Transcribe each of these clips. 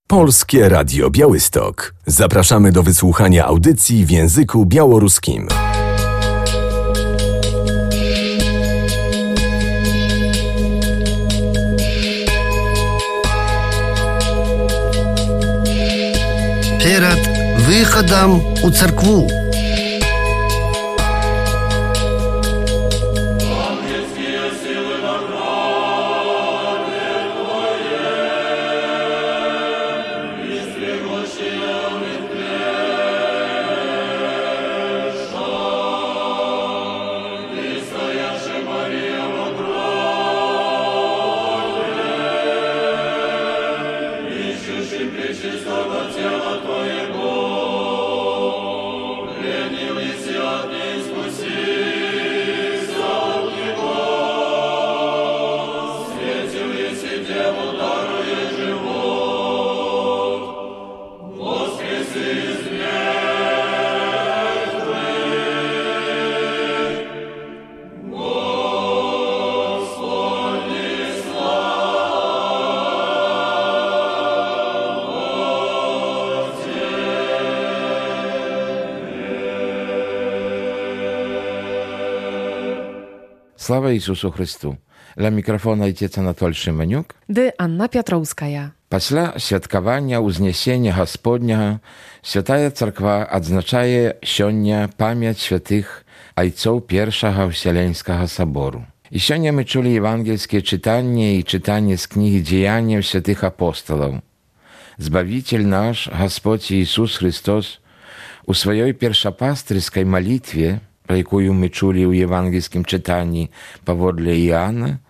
Polskie Radio Białystok. Zapraszamy do wysłuchania audycji w języku białoruskim. Перед выходом у церкву. Слава Ісусу Христу! Ля мікрафона Отец Анатоль Шиманюк. Ды Анна Пятроўская. Пасля святкавання ўзнясення Гасподняга Святая Царква адзначае сёння памяць святых айцоў Першага Вселенскага Сабору. І сёння мы чулі евангельскія чытанні і чытанні з кнігі дзеянняў святых апосталаў. Збавитель наш, Гасподзь Ісус Христос, у сваёй першапастырскай малітве, пра якую мы чулі ў евангельскім чытанні паводле Іоанна,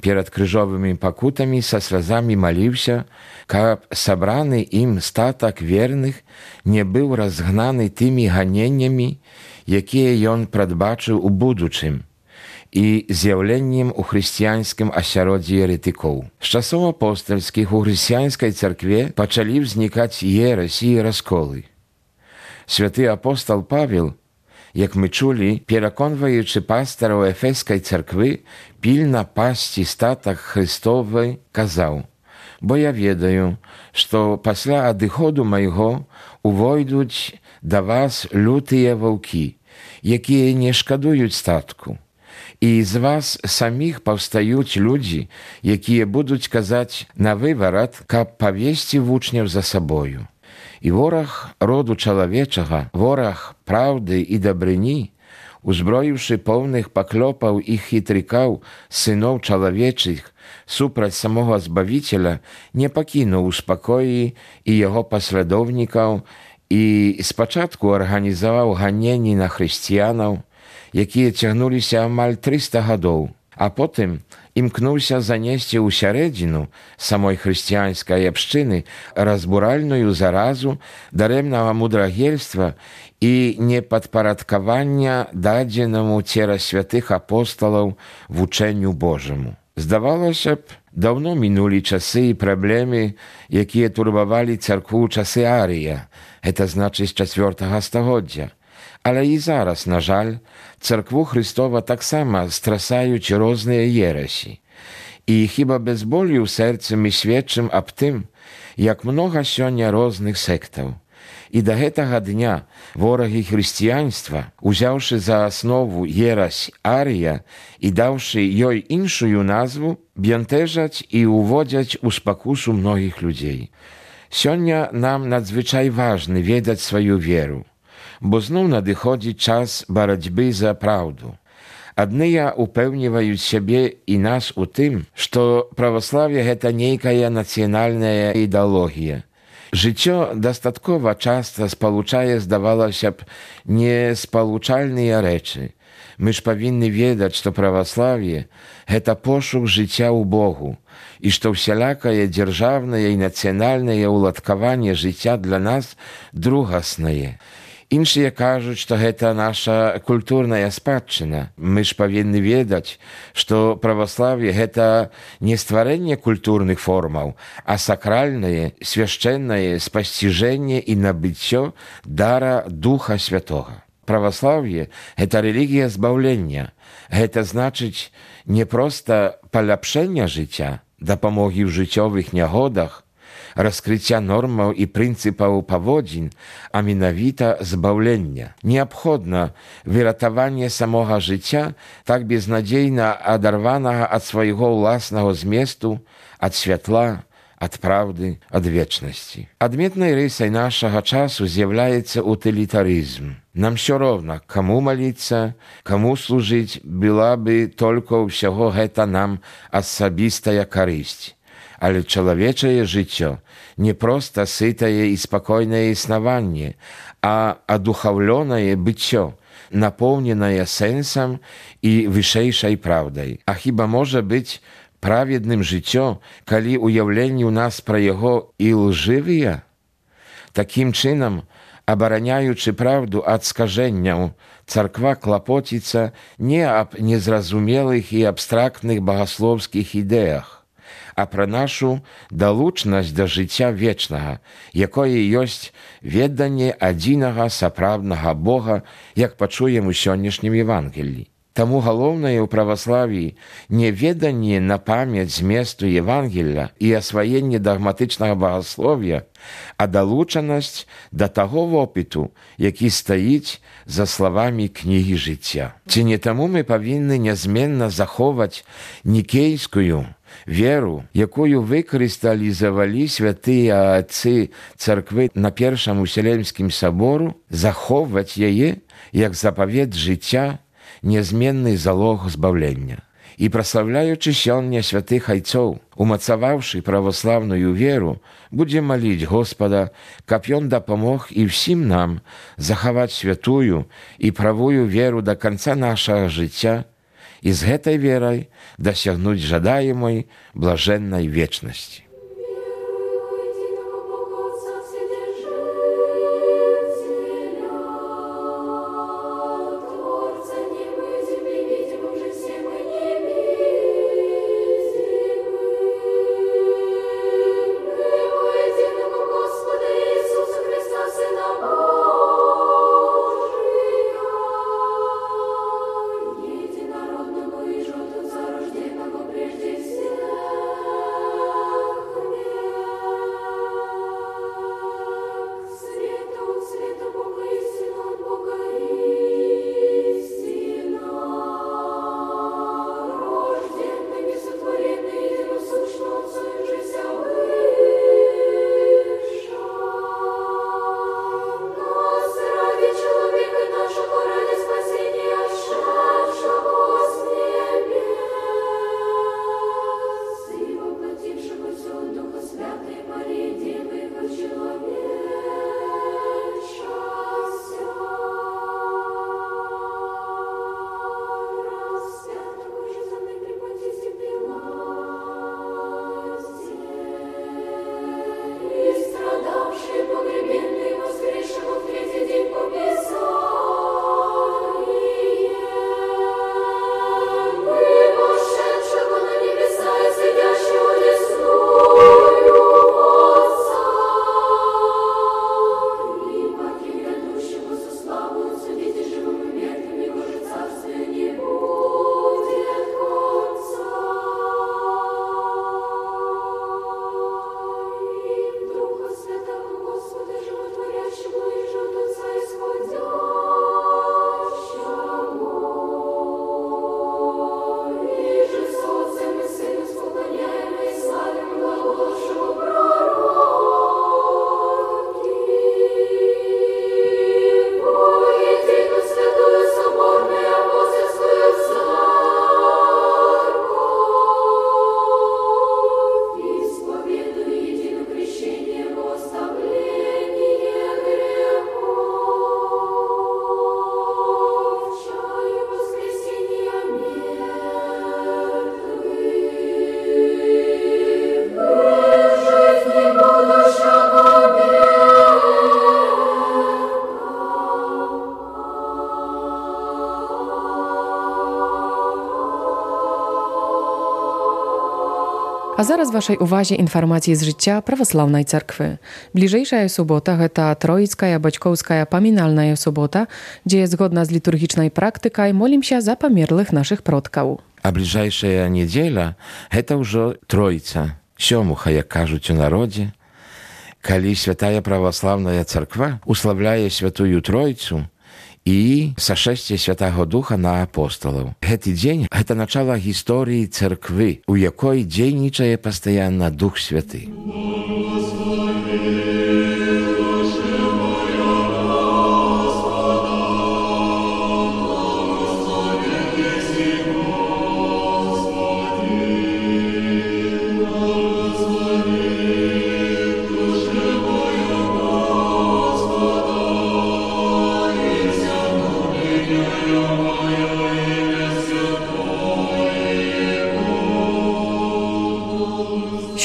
перад крыжовымі пакутамі са слязамі маліўся, каб сабраны ім статак верных не быў разгнаны тымі ганеннямі, якія ён прадбачыў у будучым, і з'яўленнем у хрысціянскім асяроддзі еретыкоў. З часоў апостальскіх у хрысціянскай царкве пачалі ўзнікаць ересі і расколы. Святы апостал Павел, як мы чулі, пераконваючы пастараў Ефескай царквы пільна пасці статак Христовы, казаў: «Бо я ведаю, што пасля адыходу майго увойдуць да вас лютыя ваўкі, якія не шкадуюць статку. І з вас саміх паўстаюць людзі, якія будуць казаць на выварат, каб павесці вучняў за сабою. І вораг роду чалавечага, вораг праўды і дабрыні, узброіўшы поўных паклёпаў і хітрыкаў сыноў чалавечых супраць самога Збавіцеля, не пакінуў у спакоі і яго паслядоўнікаў і спачатку арганізаваў ганенні на хрысціянаў, якія цягнуліся амаль 300 гадоў, а потым імкнуўся занесці ў сярэдзіну самой хрысціянскай абшчыны разбуральную заразу дарэмнага мудрагельства і непадпарадкавання дадзенаму цераз святых апосталаў вучэнню Божаму. Здавалася б, даўно мінулі часы і праблемы, якія турбавалі царкву ў часы Арыя, гэта значыць 4 стагоддзя. Але і зараз, на жаль, царкву Христова таксама страсаюць розныя ересі. І хіба без болю ў сэрцы мы сведчым аб тым, як многа сёння розных сектаў. І да гэтага дня ворагі хрысціянства, узяўшы за аснову ерась Арія і даўшы ёй іншую назву, бянтэжаць і уводзяць у спакусу многіх людзей. Сёння нам надзвычай важна ведаць сваю веру, бо зноў надыходзіць час барацьбы за праўду. Адныя упэўніваюць сябе і нас у тым, што праваславе – гэта нейкая нацыянальная ідэалогія. Жыццё дастаткова часта спалучае, здавалася б, неспалучальныя рэчы. Мы ж павінны ведаць, што праваславе – гэта пошук жыцця ў Богу, і што ўсялякае дзяржаўнае і нацыянальнае ўладкаванне жыцця для нас другаснае. Іншыя кажуць, што гэта наша культурная спадчына. Мы ж павінны ведаць, што праваславе – гэта не стварэнне культурных формаў, а сакральнае, свяшчэннае спасціжэнне і набыццё дара Духа Святога. Праваславе – гэта рэлігія збаўлення. Гэта значыць не проста паляпшэння жыцця, дапамогі ў жыццёвых нягодах, раскрыцця нормаў і прынцыпаў паводзін, а менавіта збаўлення. Неабходна выратаванне самога жыцця, так безнадзейна адарванага ад свайго ўласнага зместу, ад святла, ад праўды, ад вечнасці. Адметнай рысай нашага часу з'яўляецца утылітарызм. Нам ўсё роўна, каму маліцца, каму служыць, была бы толькі ўсяго гэта нам асабістая карысць. Але чалавечае жыццё не проста сытае і спакойнае існаванне, а адухаўлёнае быццё, напоўненае сэнсам і вышэйшай праўдай. А хіба можа быць праведным жыццё, калі ўяўленні ў нас пра яго і лжывыя? Такім чынам, абараняючы праўду ад скажэнняў, царква клапоціцца не аб незразумелых і абстрактных багаслоўскіх ідэях, а пра нашу далучнасць да жыцця вечнага, якое ёсць веданне адзінага сапраўднага Бога, як пачуем у сённяшнім Евангеллі. Таму галоўнае ў праваславіі не веданне на памяць зместу Евангелля і асваенне дагматычнага багаслов'я, а далучанасць да таго вопыту, які стаіць за словамі кнігі жыцця. Ці не таму мы павінны нязменна захоўваць нікейскую веру, якую выкрысталізавалі святыя адцы царквы на Першым Уселенскім сабору, захоўваць яе як запавет жыцця, нязменны залог збаўлення. І праслаўляючы сёння святых айцоў, умацаваўшы праваслаўную веру, будзем маліць Господа, каб ён дапамог і ўсім нам захаваць святую і правую веру да канца нашага жыцця і з гэтай верай дасягнуць жадаемай блажэннай вечнасці. А зараз вашай увазе інфармацыі з жыцця праваслаўнай царквы. Бліжэйшая субота гэта Троіцкая бацькоўская памінальная субота, дзе згодна з літургічнай практыкай молімся за памерлых нашых продкаў. А бліжэйшая нядзеля гэта ўжо Троіца, сёмуха, як кажуць у народзе, калі святая праваслаўная царква уславляе святую Тройцу і сашэсце Святаго Духа на апосталаў. Гэты дзень – гэта начало гісторыі царквы, у якой дзейнічае пастаянна Дух Святы.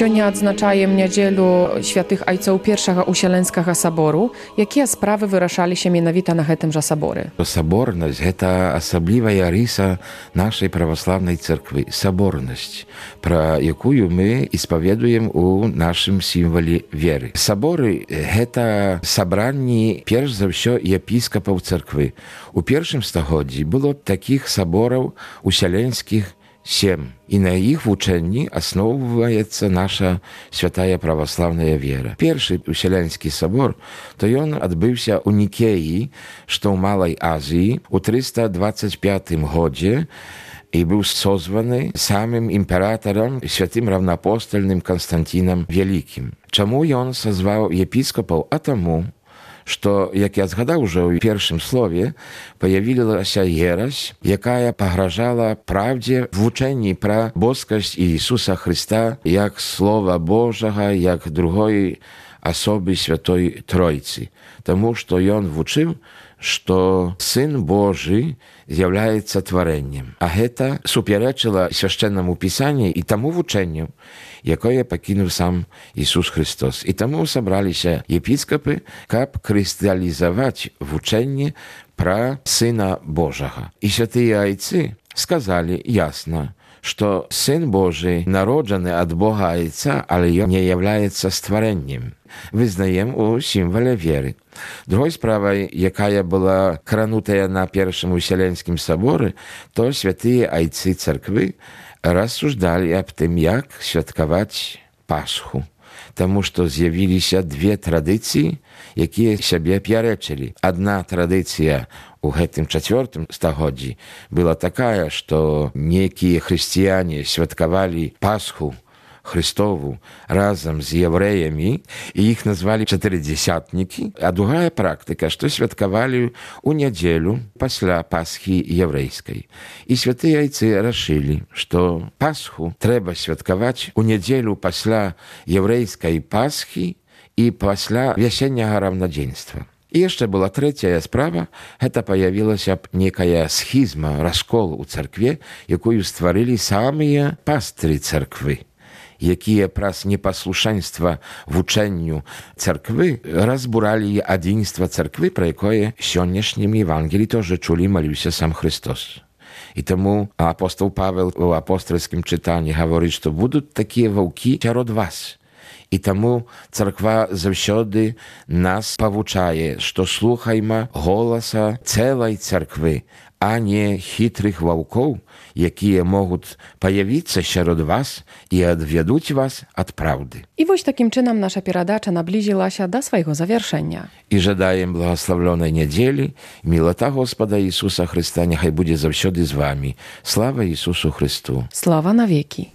Сёння адзначаем нядзелю святых айцоў першага Усяленскага сабору. Якія справы вырашаліся менавіта на гэтым жа саборы? Саборнасць – гэта асаблівая рыса нашай праваслаўнай царквы. Саборнасць, пра якую мы испаведуем у нашым сімвале веры. Саборы – гэта сабранні, перш за ўсё, епіскапаў царквы. У першым стагоддзі было такіх сабораў усяленскіх 7. І на іх вучэнні асноўваецца наша святая праваслаўная вера. Першы Усялянскі сабор, то ён адбыўся ў Нікеі, што ў Малай Азіі, у 325 годзе і быў созваны самым імператарам, святым раўнаапостальным Канстантінам Вялікім. Чаму ён сазваў епіскапаў? А таму, што, як я згадаў ужо ў першым слове, паявілася ерась, якая пагражала правдзе в вучэнні пра боскасць Ісуса Христа як Слова Божага, як другой асобы Святой Тройцы. Таму што ён вучыў, што Сын Божы з'яўляецца тварэннем. А гэта супярэчыла свяшчэннаму пісанню і таму вучэнню, якое пакінуў сам Ісус Христос. І таму сабраліся епіскапы, каб крысталізаваць вучэнне пра Сына Божага. І святыя айцы сказалі ясна, што Сын Божы народжаны ад Бога Айца, але ён не являецца стварэннем. Вызнаем у сімвале веры. Другой справай, якая была кранутая на першым Усяленскім саборы, то святыя айцы царквы рассуждалі аб тым, як святкаваць Пасху. Таму што з'явіліся две традыцыі, якія сябе пярэчылі. Адна традыцыя у гэтым 4 стагоддзі была такая, што некія хрысціяне святкавалі Пасху Христову разам з яўрэямі, і іх назвалі чатырыдзесятнікі, а другая практыка, што святкавалі ў нядзелю пасля Пасхі яўрэйскай. І святыя айцы рашылі, што Пасху трэба святкаваць у нядзелю пасля яўрэйскай Пасхі і пасля вясенняга раўнадзенства. І яшчэ была трэцяя справа, гэта паявілася б некая схізма, раскол у царкве, якую стварылі самыя пастыры царквы, якія праз непаслушэнства вучэнню царквы разбуралі адзінства царквы, пра якое сённяшнім Евангелі тоже чулі, маліўся сам Христос. І таму апостол Павел у апостольскім чытанні гаворыць, што будуць такія ваўкі сярод вас. І таму царква заўсёды нас павучае, што слухайма голаса цэлай царквы, а не хітрых ваўкоў, якія могуць паявіцца сярод вас і адвядуць вас ад праўды. І вось такім чынам наша перадача наблізілася да свайго завяршэння. І жадаем благаславлёнай нядзелі, мілата Господа Ісуса Христа няхай будзе заўсёды з вамі. Слава Ісусу Христу! Слава навекі!